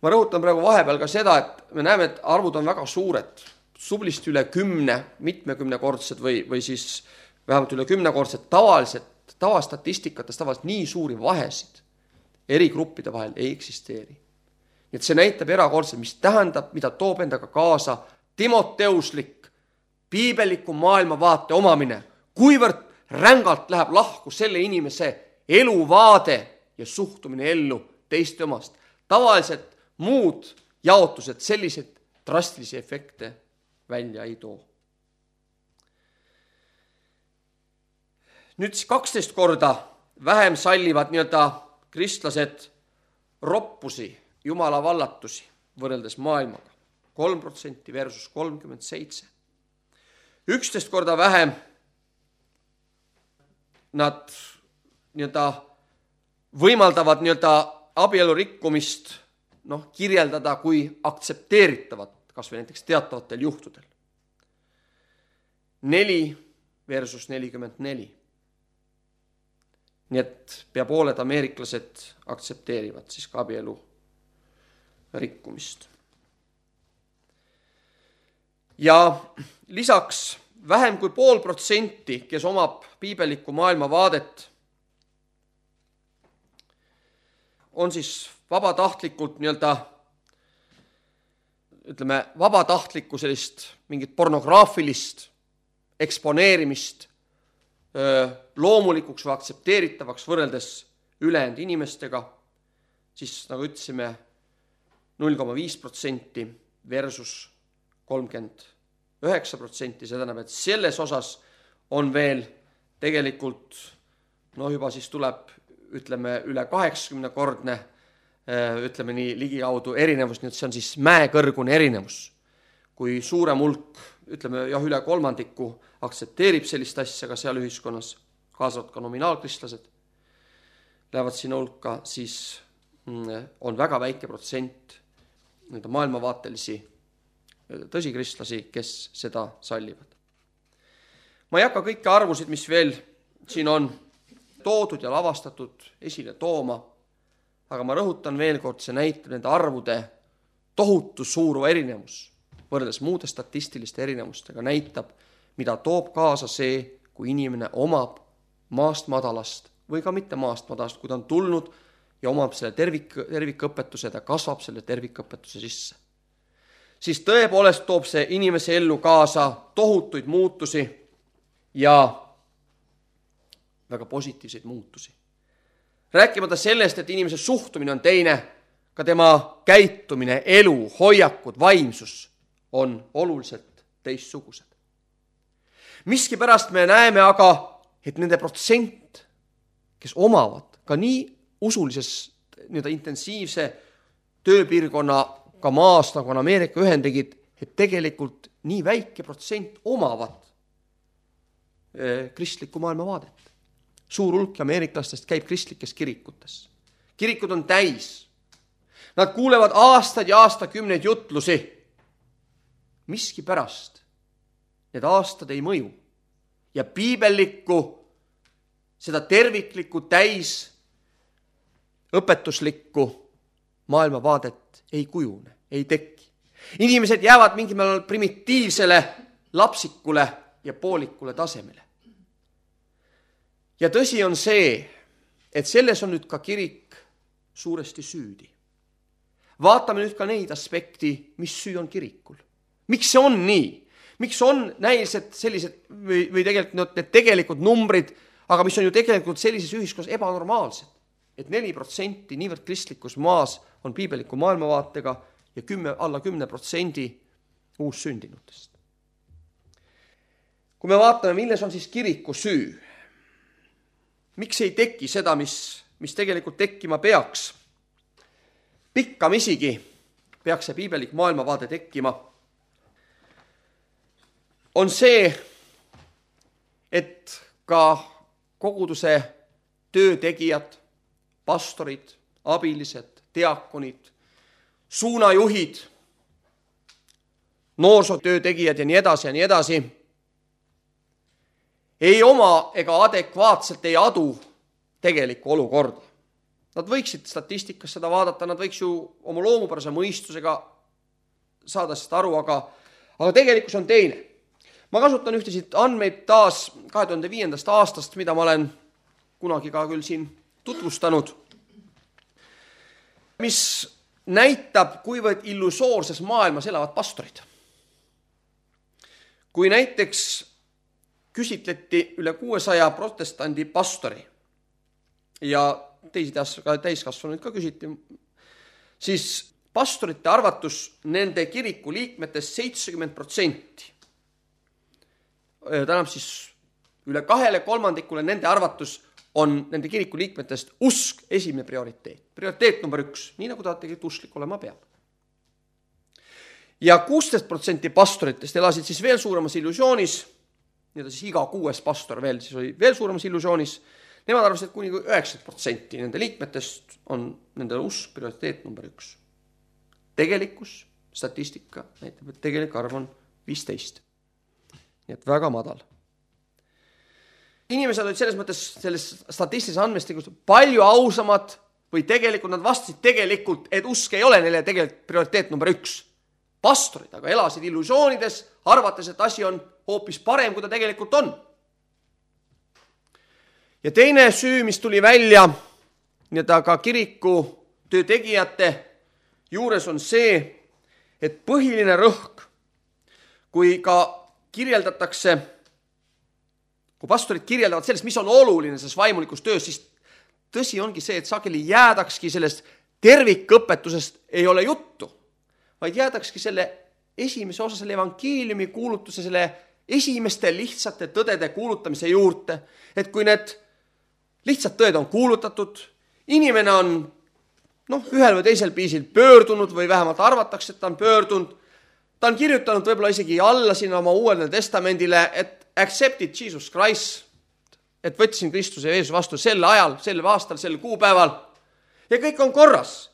[SPEAKER 1] Ma rõhutan praegu vahepeal ka seda, et me näeme, et arvud on väga suured. Sublisti üle kümne, mitmekümnekordsed või, või siis vähemalt üle kümnekordsed tavaliselt, tavastatistikates tavaliselt nii suuri vahesid eri gruppide vahel ei eksisteeri. Nii et see näitab erakordselt, mis tähendab, mida toob endaga kaasa timoteuslik piibeliku maailmavaate omamine, kuivõrd rängalt läheb lahku selle inimese eluvaade ja suhtumine ellu teiste omast. Tavaliselt muud jaotused sellised drastilisi efekte välja ei too. Nüüd siis kaksteist korda vähem sallivad nii-öelda kristlased roppusi, jumala vallatusi võrreldes maailmaga. kolm protsenti versus kolmkümmend seitse. üksteist korda vähem nad nii-öelda võimaldavad nii-öelda abielu rikkumist noh, kirjeldada kui aktsepteeritavat, kas või näiteks teatavatel juhtudel. neli versus nelikümmend neli. Nii et pea pooled ameeriklased aktsepteerivad siis ka abielu rikkumist. Ja lisaks vähem kui pool protsenti, kes omab piibelikku maailmavaadet, on siis vabatahtlikult nii-öelda ütleme, vabatahtlikku sellist mingit pornograafilist eksponeerimist loomulikuks või aktsepteeritavaks võrreldes ülejäänud inimestega, siis nagu ütlesime null koma viis protsenti versus kolmkümmend üheksa protsenti, see tähendab, et selles osas on veel tegelikult, no juba siis tuleb, ütleme, üle kaheksakümne kordne, ütleme nii ligikaudu erinevus, nii et see on siis mäekõrgune erinevus. Kui suurem hulk, ütleme jah, üle kolmandiku aktsepteerib sellist asja ka seal ühiskonnas, kaasavad ka nominaalkristlased, lähevad sinna hulka, siis on väga väike protsent maailmavaatelisi tõsikristlasi, kes seda sallivad. Ma ei hakka kõiki arvusid, mis veel siin on toodud ja lavastatud esile tooma, aga ma rõhutan veel kord, see näitab nende arvude tohutu suur erinevus võrreldes muude statistiliste erinevustega, näitab, mida toob kaasa see, kui inimene omab maast madalast või ka mitte maast madalast, kui ta on tulnud ja omab selle tervik, tervikõpetuse, ta kasvab selle tervikõpetuse sisse. Siis tõepoolest toob see inimese ellu kaasa tohutuid muutusi ja väga positiivseid muutusi. Rääkimata sellest, et inimese suhtumine on teine, ka tema käitumine, elu, hoiakud, vaimsus on oluliselt teistsugused. Miskipärast me näeme aga, et nende protsent, kes omavad ka nii usulises nii intensiivse tööpiirkonna ka maast, nagu on Ameerika Ühendriigid, et tegelikult nii väike protsent omavad kristlikku maailmavaadet. Suur hulk ameeriklastest käib kristlikes kirikutes. Kirikud on täis. Nad kuulevad aastaid ja aastakümneid jutlusi. Miski pärast need aastad ei mõju. Ja piibellikku, seda terviklikku täis õpetuslikku maailmavaadet ei kujune, ei teki. Inimesed jäävad mingil määral primitiivsele, lapsikule ja poolikule tasemele. Ja tõsi on see, et selles on nüüd ka kirik suuresti süüdi. Vaatame nüüd ka neid aspekti, mis süü on kirikul. Miks see on nii? Miks on näilised sellised või, või tegelikult need tegelikud numbrid, aga mis on ju tegelikult sellises ühiskonnas ebanormaalsed, et neli protsenti niivõrd kristlikus maas on piibeliku maailmavaatega ja kümme, alla kümne protsendi uussündinutest. Kui me vaatame, milles on siis kiriku süü, miks ei teki seda, mis, mis tegelikult tekkima peaks, pikkamisigi peaks see piibelik maailmavaade tekkima, on see, et ka koguduse töötegijad, pastorid, abilised, diakonid, suunajuhid, noorsootöötegijad ja nii edasi ja nii edasi, ei oma ega adekvaatselt ei adu tegelikku olukorda. Nad võiksid statistikas seda vaadata, nad võiks ju oma loomupärase mõistusega saada seda aru, aga, aga tegelikkus on teine. Ma kasutan ühtesid andmeid taas kahe tuhande viiendast aastast, mida ma olen kunagi ka küll siin tutvustanud, mis näitab, kuivõrd illusoorses maailmas elavad pastorid. Kui näiteks küsitleti üle kuuesaja protestandi pastori ja teisi täiskasvanuid ka küsiti, siis pastorite arvatus nende kiriku liikmetest seitsekümmend protsenti. Tähendab siis üle kahele kolmandikule nende arvatus on nende kiriku liikmetest usk esimene prioriteet. Prioriteet number üks, nii nagu ta tegelikult usklik olema peab. Ja kuusteist protsenti pastoritest elasid siis veel suuremas illusioonis, nii siis iga kuues pastor veel siis oli veel suuremas illusioonis, nemad arvasid, et kuni üheksakümmend protsenti nende liikmetest on nende usk prioriteet number üks. Tegelikkus, statistika näitab, et tegelik arv on viisteist. Nii et väga madal. Inimesed olid selles mõttes selles statistilise andmestikus palju ausamad või tegelikult nad vastasid tegelikult, et usk ei ole neile tegelikult prioriteet number üks. Pastorid aga elasid illusioonides, arvates, et asi on hoopis parem, kui ta tegelikult on. Ja teine süü, mis tuli välja nii-öelda ka kiriku töötegijate juures on see, et põhiline rõhk, kui ka kirjeldatakse, kui pastorid kirjeldavad sellest, mis on oluline selles vaimulikus töös, siis tõsi ongi see, et sageli jäädakski sellest tervikõpetusest ei ole juttu, vaid jäädakski selle esimese osa, selle evangeeliumi kuulutuse, selle esimeste lihtsate tõdede kuulutamise juurde, et kui need lihtsad tõed on kuulutatud, inimene on noh, ühel või teisel viisil pöördunud või vähemalt arvatakse, et ta on pöördunud, ta on kirjutanud võib-olla isegi alla sinna oma uuele testamendile, et accepted Jesus Christ, et võtsin Kristuse Jeesus vastu sel ajal, sel aastal, sel kuupäeval ja kõik on korras.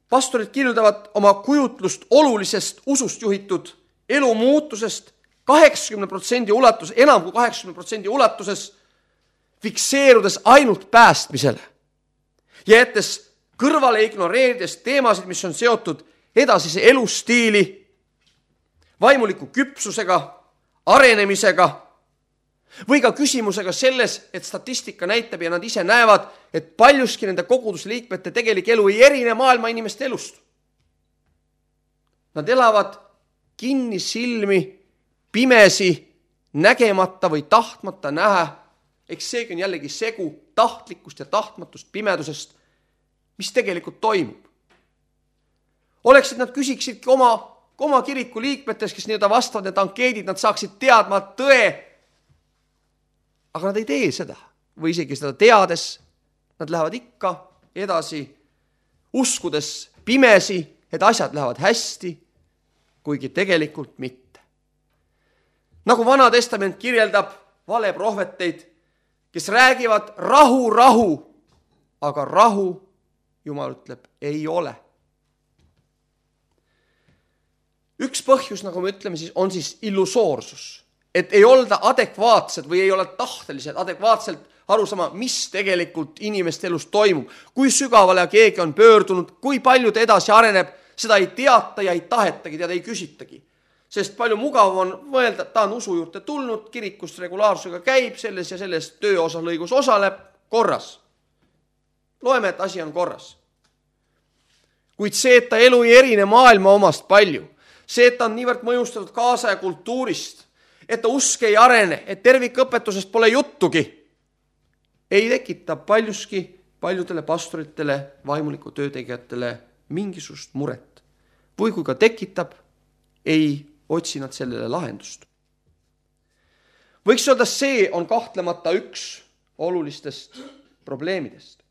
[SPEAKER 1] Pastorid kirjeldavad oma kujutlust olulisest usust juhitud elu muutusest kaheksakümne protsendi ulatus, enam kui kaheksakümne protsendi ulatuses fikseerudes ainult päästmisele ja jättes kõrvale ignoreerides teemasid, mis on seotud edasise elustiili, vaimuliku küpsusega, arenemisega või ka küsimusega selles, et statistika näitab ja nad ise näevad, et paljuski nende kogudusliikmete tegelik elu ei erine maailma inimeste elust. Nad elavad kinni silmi, pimesi, nägemata või tahtmata näha. Eks seegi on jällegi segu tahtlikkust ja tahtmatust pimedusest, mis tegelikult toimub. Oleks, et nad küsiksidki oma, oma kiriku liikmetes, kes nii-öelda vastavad need ankeedid, nad saaksid teadma tõe, aga nad ei tee seda. Või isegi seda teades, nad lähevad ikka edasi, uskudes pimesi, et asjad lähevad hästi, kuigi tegelikult mitte. Nagu Vana Testament kirjeldab valeprohveteid, kes räägivad rahu, rahu, aga rahu, Jumal ütleb, ei ole. Üks põhjus, nagu me ütleme, siis on siis illusoorsus, et ei olda adekvaatsed või ei ole tahtelised adekvaatselt aru sama, mis tegelikult inimeste elus toimub, kui sügavale keegi on pöördunud, kui palju ta edasi areneb, seda ei teata ja ei tahetagi, teada ei küsitagi. Sest palju mugav on mõelda, et ta on usu juurde tulnud, kirikust regulaarsusega käib, selles ja selles tööosa lõigus osaleb, korras. Loeme, et asi on korras. Kuid see, et ta elu ei erine maailma omast palju, see, et ta on niivõrd mõjustatud kaasa ja kultuurist, et ta usk ei arene, et tervikõpetusest pole juttugi, ei tekita paljuski paljudele pastoritele, vaimuliku töötegijatele mingisugust muret. Või kui ka tekitab, ei otsi nad sellele lahendust. Võiks öelda, see on kahtlemata üks olulistest probleemidest.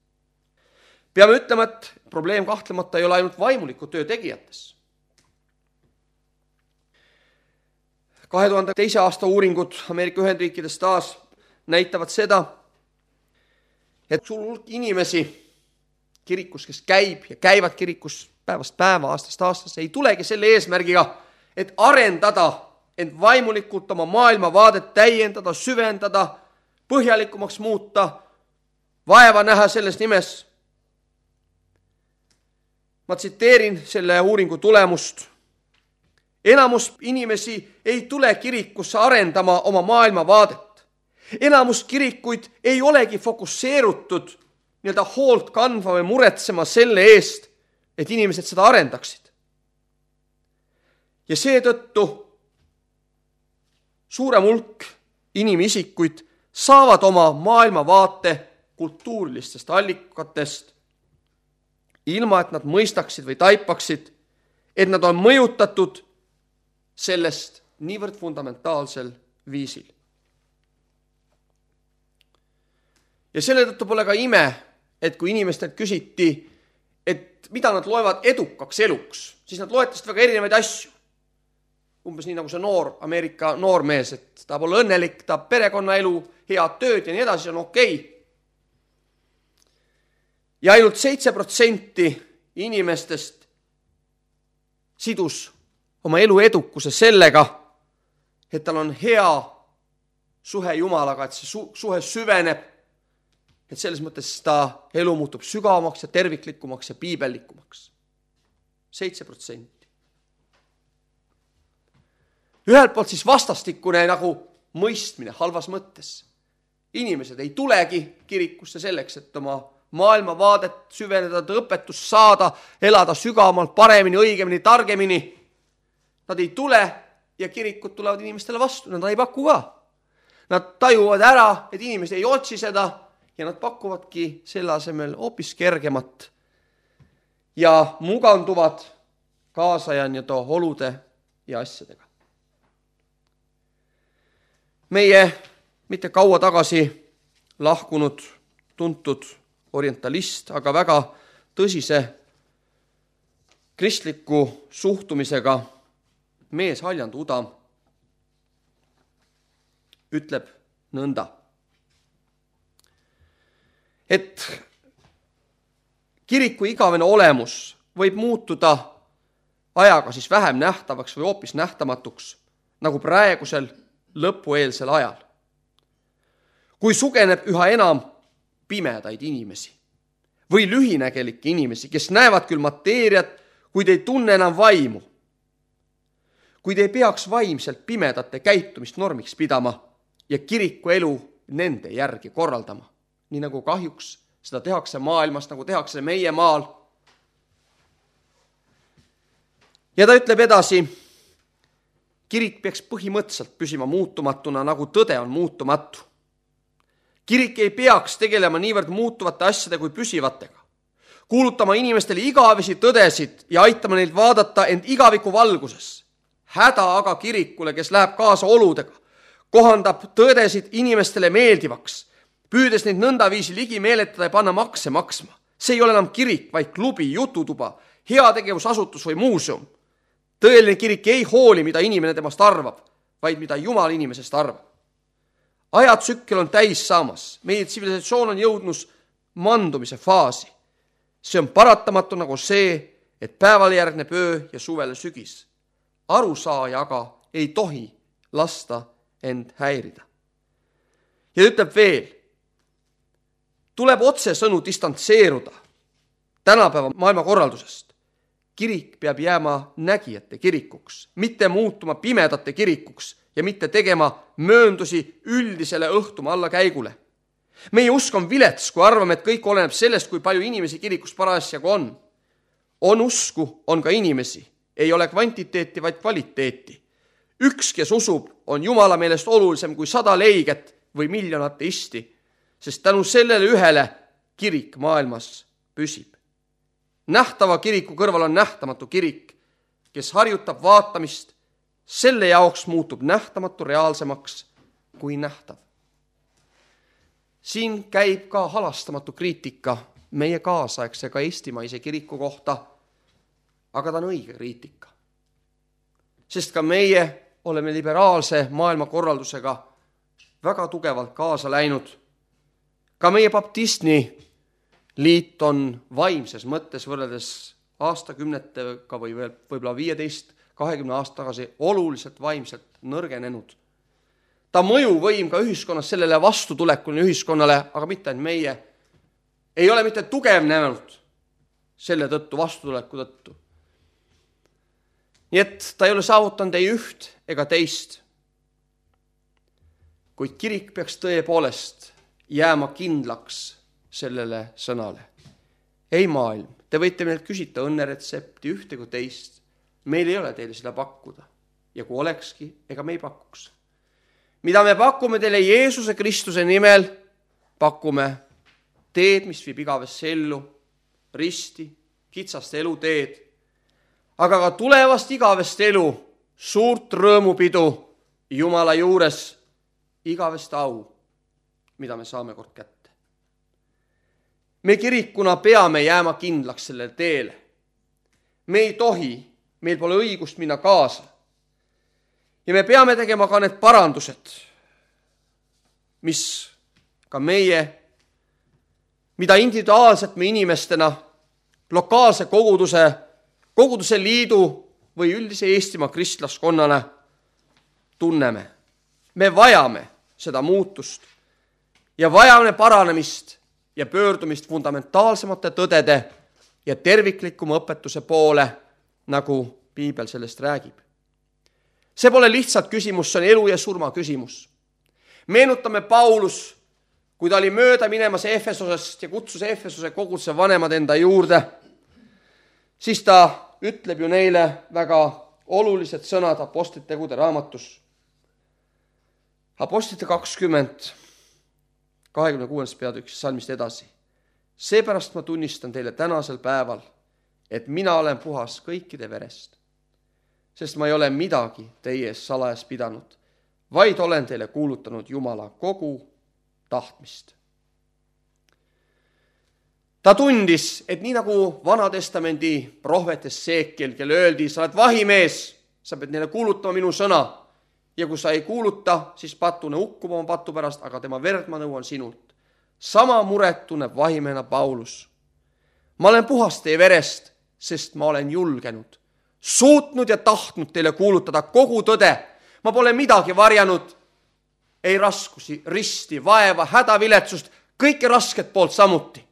[SPEAKER 1] Peame ütlema, et probleem kahtlemata ei ole ainult vaimuliku töö tegijates. kahe tuhande teise aasta uuringud Ameerika Ühendriikides taas näitavad seda, et sul hulk inimesi kirikus, kes käib ja käivad kirikus päevast päeva, aastast aastast, ei tulegi selle eesmärgiga, et arendada end vaimulikult oma maailmavaadet täiendada, süvendada, põhjalikumaks muuta, vaeva näha selles nimes. Ma tsiteerin selle uuringu tulemust. Enamus inimesi ei tule kirikusse arendama oma maailmavaadet. Enamus kirikuid ei olegi fokusseerutud nii-öelda hoolt kandva või muretsema selle eest, et inimesed seda arendaksid. Ja seetõttu suurem hulk inimisikuid saavad oma maailmavaate kultuurilistest allikatest, ilma et nad mõistaksid või taipaksid, et nad on mõjutatud sellest niivõrd fundamentaalsel viisil. Ja selle tõttu pole ka ime, et kui inimestelt küsiti, et mida nad loevad edukaks eluks, siis nad loetasid väga erinevaid asju. Umbes nii nagu see noor Ameerika noormees, et ta pole õnnelik, ta perekonnaelu, head tööd ja nii edasi on okei. Ja ainult seitse protsenti inimestest sidus oma elu edukuse sellega, et tal on hea suhe Jumalaga, et see su- suhe süveneb, et selles mõttes ta elu muutub sügavamaks ja terviklikumaks ja piibellikumaks. seitse protsenti. Ühelt poolt siis vastastikune nagu mõistmine halvas mõttes. Inimesed ei tulegi kirikusse selleks, et oma maailmavaadet süveneda, õpetust saada, elada sügavamalt, paremini, õigemini, targemini. Nad ei tule ja kirikud tulevad inimestele vastu, nad ei paku ka. Nad tajuvad ära, et inimesed ei otsi seda ja nad pakuvadki selle asemel hoopis kergemat ja muganduvad kaasaja nii-öelda olude ja asjadega. Meie mitte kaua tagasi lahkunud tuntud orientalist, aga väga tõsise kristliku suhtumisega mees Haljand Udam ütleb nõnda, et kiriku igavene olemus võib muutuda ajaga siis vähem nähtavaks või hoopis nähtamatuks, nagu praegusel lõpueelsel ajal. kui sugeneb üha enam pimedaid inimesi või lühinägelikke inimesi, kes näevad küll mateeriat, kuid ei tunne enam vaimu. Kuid ei peaks vaimselt pimedate käitumist normiks pidama ja kiriku elu nende järgi korraldama, nii nagu kahjuks seda tehakse maailmas, nagu tehakse meie maal. Ja ta ütleb edasi, kirik peaks põhimõtteliselt püsima muutumatuna, nagu tõde on muutumatu. Kirik ei peaks tegelema niivõrd muutuvate asjade kui püsivatega, kuulutama inimestele igavesi tõdesid ja aitama neil vaadata end igaviku valguses. Häda aga kirikule, kes läheb kaasa oludega, kohandab tõdesid inimestele meeldivaks, püüdes neid nõndaviisi ligi meeletada ja panna makse maksma. See ei ole enam kirik, vaid klubi, jututuba, heategevusasutus või muuseum. Tõeline kirik ei hooli, mida inimene temast arvab, vaid mida Jumal inimesest arvab. Ajatsükkel on täis saamas. Meie tsivilisatsioon on jõudnud mandumise faasi. See on paratamatu nagu see, et päevale järgneb öö ja suvele sügis. Arusaaja aga ei tohi lasta end häirida. Ja ütleb veel, tuleb otsesõnu distantseeruda tänapäeva maailmakorraldusest. Kirik peab jääma nägijate kirikuks, mitte muutuma pimedate kirikuks ja mitte tegema mööndusi üldisele õhtuma alla käigule. Meie usk on vilets, kui arvame, et kõik oleneb sellest, kui palju inimesi kirikus parasjagu on. On usku, on ka inimesi. Ei ole kvantiteeti, vaid kvaliteeti. Üks, kes usub, on Jumala meelest olulisem kui sada leiget või miljon ateisti, sest tänu sellele ühele kirik maailmas püsib. Nähtava kiriku kõrval on nähtamatu kirik, kes harjutab vaatamist, selle jaoks muutub nähtamatu reaalsemaks kui nähtav. Siin käib ka halastamatu kriitika meie kaasaegse ka eestimaise kiriku kohta, aga ta on õige kriitika. Sest ka meie oleme liberaalse maailmakorraldusega väga tugevalt kaasa läinud. Ka meie baptistni liit on vaimses mõttes võrreldes aastakümnetega või võib-olla viieteist kahekümne aasta tagasi oluliselt vaimselt nõrgenenud. Ta mõjuvõim ka ühiskonnas sellele vastutulekuni ühiskonnale, aga mitte ainult meie, ei ole mitte tugevnenud selle tõttu, vastutuleku tõttu. Nii et ta ei ole saavutanud ei üht ega teist. Kuid kirik peaks tõepoolest jääma kindlaks sellele sõnale. Ei maailm, te võite meilt küsida õnneretsepti ühte kui teist. Meil ei ole teile seda pakkuda. Ja kui olekski, ega me ei pakuks. Mida me pakume teile Jeesuse Kristuse nimel, pakume teed, mis viib igavesse ellu, risti, kitsast eluteed, aga ka tulevast igavest elu, suurt rõõmupidu Jumala juures, igavest au, mida me saame kord kätte. Me kirikuna peame jääma kindlaks sellele teele. Me ei tohi, meil pole õigust minna kaasa. Ja me peame tegema ka need parandused, mis ka meie, mida individuaalselt me inimestena, lokaalse koguduse, koguduse liidu või üldise Eestimaa kristlaskonnana tunneme. Me vajame seda muutust ja vajame paranemist ja pöördumist fundamentaalsemate tõdede ja terviklikuma õpetuse poole, nagu Piibel sellest räägib. See pole lihtsalt küsimus, see on elu ja surma küsimus. Meenutame Paulus, kui ta oli mööda minemas Efesosest ja kutsus Efesose koguduse vanemad enda juurde, siis ta ütleb ju neile väga olulised sõnad Apostlite tegude raamatus. Apostlite kakskümmend, kahekümne kuues peatükis salmist edasi. Seepärast ma tunnistan teile tänasel päeval, et mina olen puhas kõikide verest, sest ma ei ole midagi teie ees salajas pidanud, vaid olen teile kuulutanud Jumala kogu tahtmist. Ta tundis, et nii nagu Vanatestamendi prohvetes Seekel, kelle öeldi, sa oled vahimees, sa pead neile kuulutama minu sõna, ja kui sa ei kuuluta, siis patune ukkuma oma patu pärast, aga tema verd ma nõuan sinult. Sama muret tunneb vahimehena Paulus. Ma olen puhas teie verest, sest ma olen julgenud, suutnud ja tahtnud teile kuulutada kogu tõde. Ma pole midagi varjanud ei raskusi, risti, vaeva, hädaviletsust, kõike rasket poolt samuti.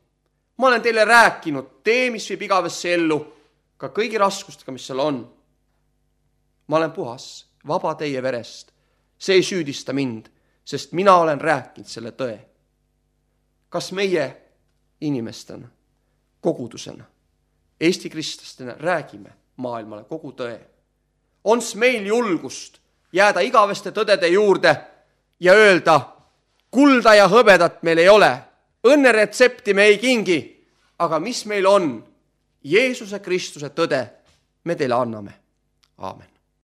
[SPEAKER 1] Ma olen teile rääkinud, tee, mis viib igavesse ellu, ka kõigi raskustega, mis seal on. Ma olen puhas, vaba teie verest. See ei süüdista mind, sest mina olen rääkinud selle tõe. Kas meie inimestena, kogudusena, Eesti kristlastena räägime maailmale kogu tõe? Ons meil julgust jääda igaveste tõdede juurde ja öelda, kulda ja hõbedat meil ei ole, õnneretsepti me ei kingi, aga mis meil on, Jeesuse Kristuse tõde, me teile anname. Aamen.